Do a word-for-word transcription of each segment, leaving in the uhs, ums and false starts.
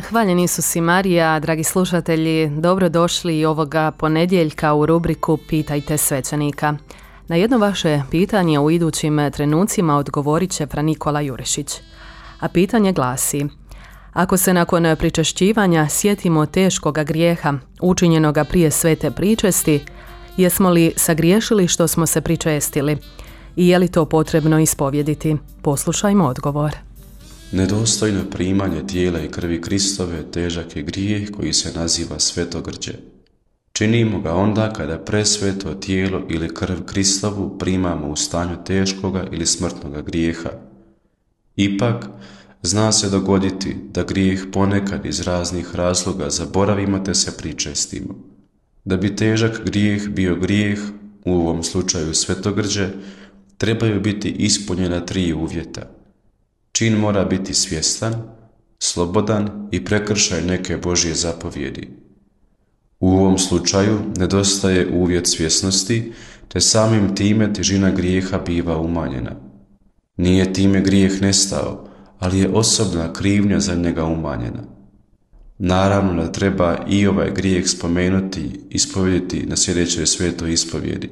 Hvaljen Isus i Marija, dragi slušatelji, dobrodošli i ovoga ponedjeljka u rubriku Pitajte svećenika. Na jedno vaše pitanje u idućim trenucima odgovorit će fra Nikola Jurišić. A pitanje glasi: ako se nakon pričešćivanja sjetimo teškoga grijeha, učinjenoga prije svete pričesti, jesmo li sagriješili što smo se pričestili? I je li to potrebno ispovjediti? Poslušajmo odgovor. Nedostojno primanje tijela i krvi Kristove težak je grijeh koji se naziva svetogrđe. Činimo ga onda kada presveto tijelo ili krv Kristovu primamo u stanju teškoga ili smrtnoga grijeha. Ipak, zna se dogoditi da grijeh ponekad iz raznih razloga zaboravimo te se pričestimo. Da bi težak grijeh bio grijeh, u ovom slučaju svetogrđe, trebaju biti ispunjena tri uvjeta. Čin mora biti svjestan, slobodan i prekršaj neke Božje zapovjedi. U ovom slučaju nedostaje uvjet svjesnosti, te samim time težina grijeha biva umanjena. Nije time grijeh nestao, ali je osobna krivnja za njega umanjena. Naravno da treba i ovaj grijeh spomenuti i ispovjediti na sljedećoj svetoj ispovjedi.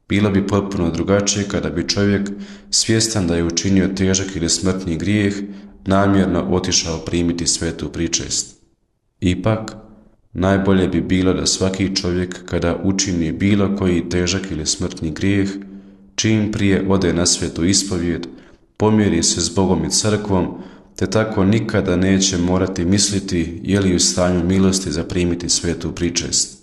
Bilo bi potpuno drugačije kada bi čovjek, svjestan da je učinio težak ili smrtni grijeh, namjerno otišao primiti svetu pričest. Ipak, najbolje bi bilo da svaki čovjek kada učini bilo koji težak ili smrtni grijeh, čim prije ode na svetu ispovjed, pomiri se s Bogom i crkvom, te tako nikada neće morati misliti je li u stanju milosti za primiti svetu pričest.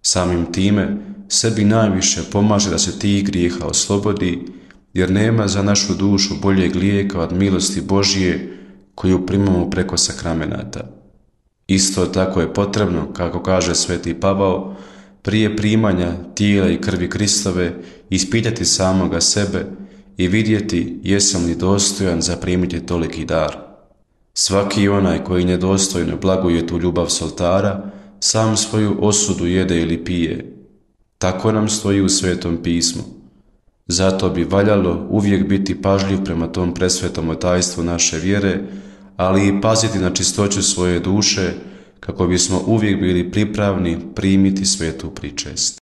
Samim time, sebi najviše pomaže da se tih grijeha oslobodi, jer nema za našu dušu boljeg lijeka od milosti Božje koju primamo preko sakramenata. Isto tako je potrebno, kako kaže sveti Pavao, prije primanja tijela i krvi Kristove ispitati samoga sebe i vidjeti jesam li dostojan za primiti toliki dar. Svaki onaj koji nedostojno blaguje tu ljubav s oltara, sam svoju osudu jede ili pije. Tako nam stoji u Svetom pismu. Zato bi valjalo uvijek biti pažljiv prema tom presvetom tajstvu naše vjere, ali i paziti na čistoću svoje duše, kako bismo uvijek bili pripravni primiti svetu pričest.